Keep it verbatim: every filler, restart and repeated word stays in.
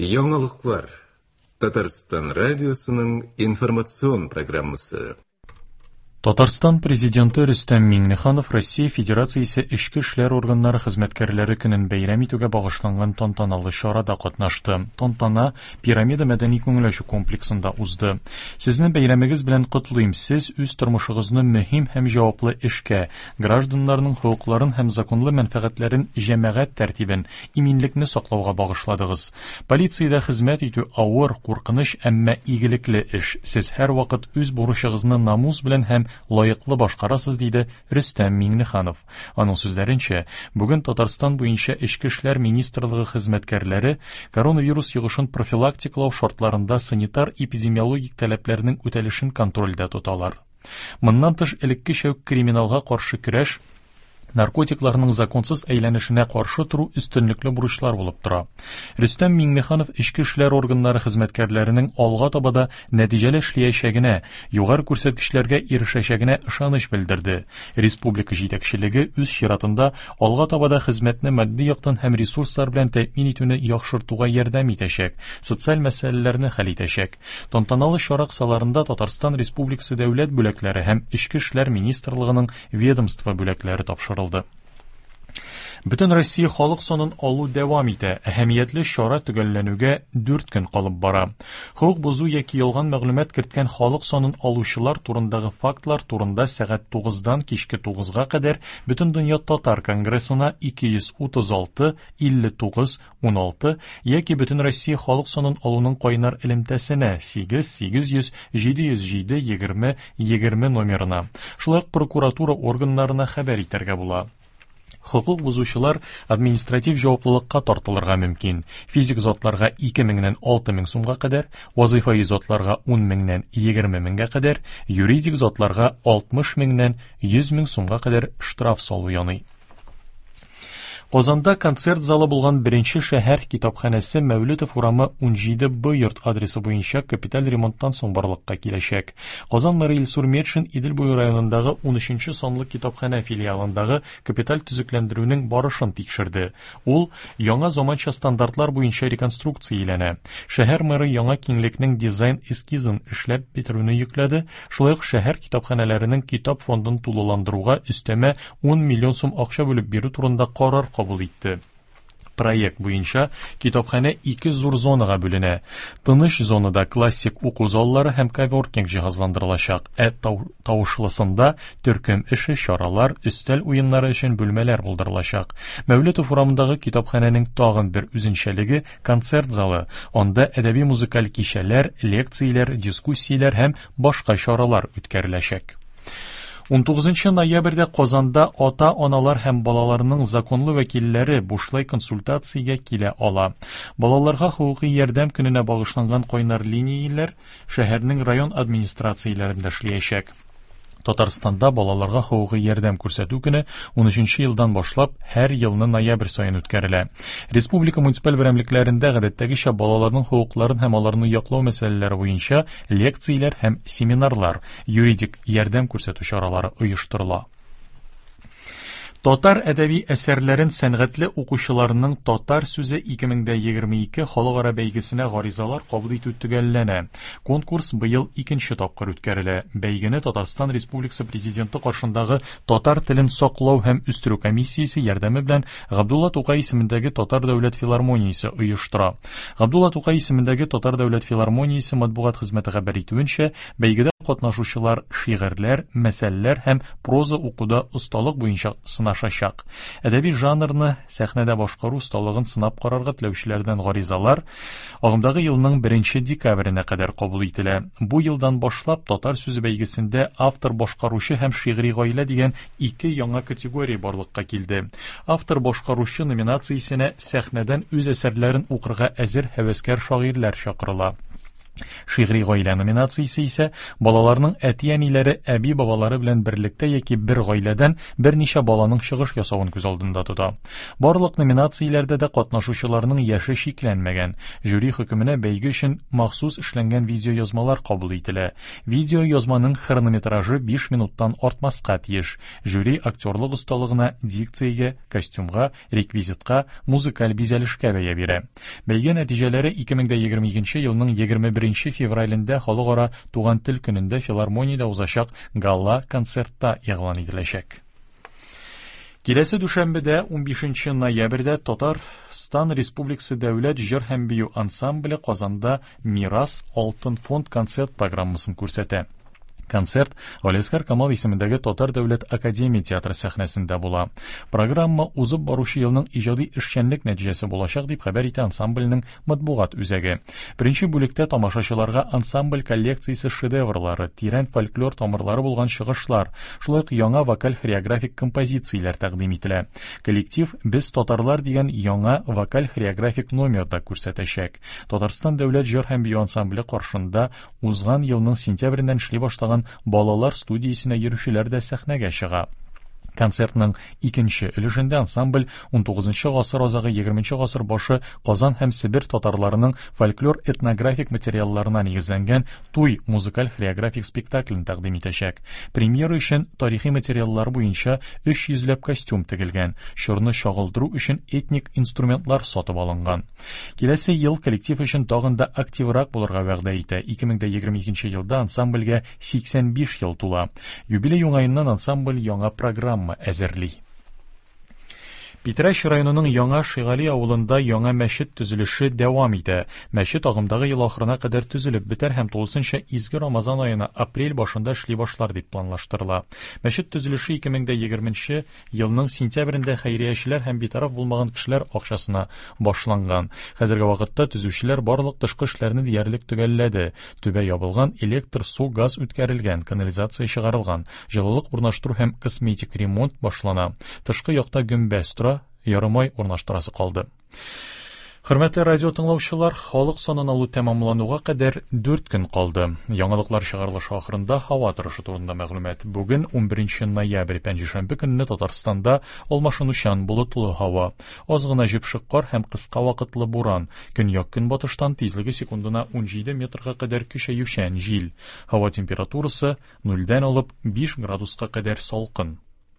Яңалыклар. Татарстан радиосының информацион программасы. Татарстан президенты Рөстәм Миңнеханов Россия Федерациясе Эчке эшләр органнары хезмәткәрләре көнен бәйрәм итүгә багышланган тантаналы чарада катнашты. Тантана Пирамида мәдәни күңел ачу комплексында узды. Сезне бәйрәмегез белән котлыйм. Сез үз тормышыгызны мөһим һәм җаваплы эшкә, гражданнарның хокукларын һәм законлы мәнфәгатьләрен, җәмәгать тәртибен, иминлекне саклауга багышладыгыз. Полициядә хезмәт итү авыр, куркыныч, әмма игелекле эш. Сез һәрвакыт үз бурычыгызны намус белән һәм лаеклы башкарасыз, диде Рөстәм Миңнеханов. Аның сүзләренчә, бүген Татарстан буенча Эчке эшләр министрлыгы хезмәткәрләре коронавирус йогышын профилактикалау шартларында санитар-эпидемиологик таләпләрнең үтәлешен контрольдә тоталар. Моннан тыш, элеккечә үк криминалга каршы көрәш, наркотикларның законсыз әйләнешенә каршы тору өстенлекле бурычлар булып тора. Рөстәм Миңнеханов эчке эшләр органнары хезмәткәрләренең алга таба да нәтиҗәле эшләячәгенә, югары күрсәткечләргә ирешәчәгенә ышаныч белдерде. Республика җитәкчелеге үз чиратында алга таба да хезмәтне матди яктан һәм ресурслар белән тәэмин итүне яхшыртуга ярдәм итәчәк, социаль мәсьәләләрне хәл итәчәк. Тантаналы чара кысаларында Татарстан Республикасы дәүләт бүләкләре һәм Эчке эшләр министрлыгының ведомство бүләкләре тапшырылды. Бөтен Россия халык санын алу дәвам итә. Әһәмиятле чара төгәлләнүгә дүрт көн калып бара. Хокук бозу яки ялган мәгълүмат керткән халык санын алучылар турындагы фактлар турында сәгать тугыздан кичке тугызга кадәр Бөтендөнья татар конгрессына ике йөз утыз алты илле тугыз уналты яки Бөтен Россия халык санын алуның кайнар элемтәсенә сигез сигез йөз җиде йөз җиде егерме егерме номерына, шулай ук прокуратура органнарына хәбәр итәргә була. Хокук бозучылар административ җаваплылыкка тартылырга мөмкин. Физик затларга ике меңнән алты мең сумга кадәр, вазыйфаи затларга ун меңнән егерме меңгә кадәр, юридик затларга алтмыш меңнән йөз мең сумга кадәр штраф салу яный. Казанда концерт залы булган беренче шәһәр китапханәсе Мәүлетов урамы унҗиде Б йорт адресы буенча капиталь ремонттан соң барлыкка киләчәк. Казан мэры Илсур Метшин Идел буе районындагы унөченче санлы китапханә филиалындагы капиталь төзекләндерүнең барышын тикшерде. Ул яңа заманча стандартлар буенча реконструкцияләнә. Шәһәр мэры яңа киңлекнең дизайн эскизын эшләп бетерүне йөкләде. Шулай ук шәһәр китапханәләренең китап фондын тулыландыруга өстәмә ун миллион сум акча бүлеп бирү турында карар кабул итте. Проект буенча китапханә ике зур зонага бүленә. Тыныч зонада классик уку заллары һәм коворкинг җиһазландырылачак, ә тау-, тавышлысында төркем эше, чаралар, өстәл уеннары өчен бүлмәләр булдырылачак. Мәүлетов урамындагы китапханәнең тагын бер үзенчәлеге концерт залы. Анда әдәби музыкаль кичәләр, лекцияләр, дискуссияләр һәм башка чаралар үткәреләчәк. Унтугызынчы ноябрьдә Казанда ата-аналар һәм балаларның законлы вәкилләре бушлай консультациягә килә ала. Балаларга хокукый ярдәм көненә багышланган кайнар линияләр шәһәрнең район администрацияләрендә эшләячәк. Татарстанда балаларга хокукый ярдәм күрсәтү көне унөченче елдан башлап һәр елны ноябрь саен үткәрелә. Республика муниципаль берәмлекләрендә гадәттәгечә балаларның хокукларын һәм аларны яклау мәсьәләләре буенча лекцияләр һәм семинарлар, юридик ярдәм күрсәтү чаралары оештырыла. Татар әдәби әсәрләрен сәнгатьле укучыларның Татар сүзе ике мең дә егерме ике халыкара бәйгесенә гаризалар кабул итү төгәлләнә. Конкурс быел икенче тапкыр үткәрелә. Бәйгене Татарстан Республикасы Президенты каршындагы Татар телен саклау һәм үстерү комиссиясе ярдәме белән Габдулла Тукай исемендәге Татар дәүләт филармониясе оештыра. Габдулла Тукай исемендәге Татар дәүләт филармониясе матбугат хезмәте хәбәр итүенчә, бәйгедә катнашучылар шигырьләр, мәсәлләр һәм проза укуда осталык буенча сынашачак. Әдәби жанрны сәхнәдә башкару осталыгын сынап карарга теләүчеләрдән гаризалар агымдагы елның беренче декабренә кадәр кабул ителә. Бу елдан башлап Татар сүзе бәйгесендә автор башкаручы һәм шигъри гаилә дигән ике яңа категория барлыкка килде. Автор башкаручы номинациясенә сәхнәдән үз әсәрләрен укырга әзер һәвәскәр шагыйрьләр чакырыла. Шигъри гаилә номинациясе исә балаларның әти-әниләре, әби-бабалары белән берлектә яки бер гаиләдән берничә баланың чыгыш ясавын күз алдында тота. Барлык номинацияләрдә дә катнашучыларның яше чикләнмәгән. Жюри хөкеменә бәйге өчен махсус эшләнгән видеоязмалар кабул ителә. Видеоязманың хронометражы биш минуттан артмаска тиеш. Жюри актерлык осталыгына, дикциягә, костюмга, реквизитка, музыкаль бизәлешкә бәя бирә. Бәйге нәтиҗәләре ике мең егерме икенче елның егерме беренче февралендә Халыкара туган тел көнендә филармониядә узачак гала-концертта игълан ителәчәк. Киләсе дүшәмбедә унбишенче ноябрьдә Татарстан Республикасы Дәүләт җыр һәм бию ансамбле Казанда Мирас Алтын фонд концерт программасын күрсәтә. Концерт Галиәсгар Камал исемендәге Татар дәүләт академия театры сәхнәсендә була. Программа узып баручы елның иҗади эшчәнлек нәтиҗәсе булачак дип хәбәр итә ансамбльнең матбугат үзәге. Беренче бүлектә тамашачыларга ансамбль коллекциясе шедеврлары, тирән фольклор тамырлары булган чыгышлар, шулай ук яңа вокаль-хореографик композицияләр тәкъдим ителә. Коллектив Без татарлар дигән яңа вокаль-хореографик номер да күрсәтәчәк. Татарстан дәүләт җыр һәм бию ансамбле каршында узган елның сентябреннән эшли башлаган балалар студиясенә йөрүчеләр дә сәхнәгә чыга. Концертның икенче өлешендә ансамбль унтугызынчы гасыр азагы егерменче гасыр башы Казан һәм Себер татарларының фольклор-этнографик материалларына нигезләнгән туй музыкаль-хореографик спектаклен тәкъдим итәчәк. Премьера өчен тарихи материаллар буенча өч йөзләп костюм тегелгән, чорны чагылдыру өчен этник инструментлар сатып алынган. Киләсе ел коллектив өчен тагын да активрак булырга вәгъдә итә. Ике мең егерме икенче елда ансамбльгә сиксән биш ел тула. Юбилей уңаеннан ансамбль яңа программа әзерли. Питрәч районының Яңа Шигали авылында яңа мәчет төзелеше дәвам итә. Мәчет агымдагы ел ахырына кадәр төзелеп бетәр һәм тулысынча изге Рамазан аена апрель башында эшли башлар дип планлаштырыла. Мәчет төзелеше ике мең егерменче елның сентябрендә хәйриячеләр һәм битараф булмаган кешеләр акчасына башланган. Хәзерге вакытта төзүчеләр барлык тышкы эшләрне диярлек төгәлләде. Түбә ябылган, электр, су, газ үткәрелгән, канализация чыгарылган, җылылык урнаштыру һәм косметик ремонт башлана. Тышкы якта гөмбәз тора, ярымай урнаштырасы калды. Хөрмәтле радио тыңлаучылар, халык санын алу тәмамлануга кадәр дүрт көн калды. Яңалыклар чыгарылышы ахырында һава торышы турында мәгълүмат. Бүген унберенче ноябрь пәнҗешәмбе көнне Татарстанда алмашынучан болытлы һава, аз гына җепшек кар һәм кыска вакытлы буран. Көньяк-көнбатыштан тизлеге секундына унҗиде метрга кадәр көчәючән җил. Һава температурасы нульдән алып биш градуска кадәр салкын.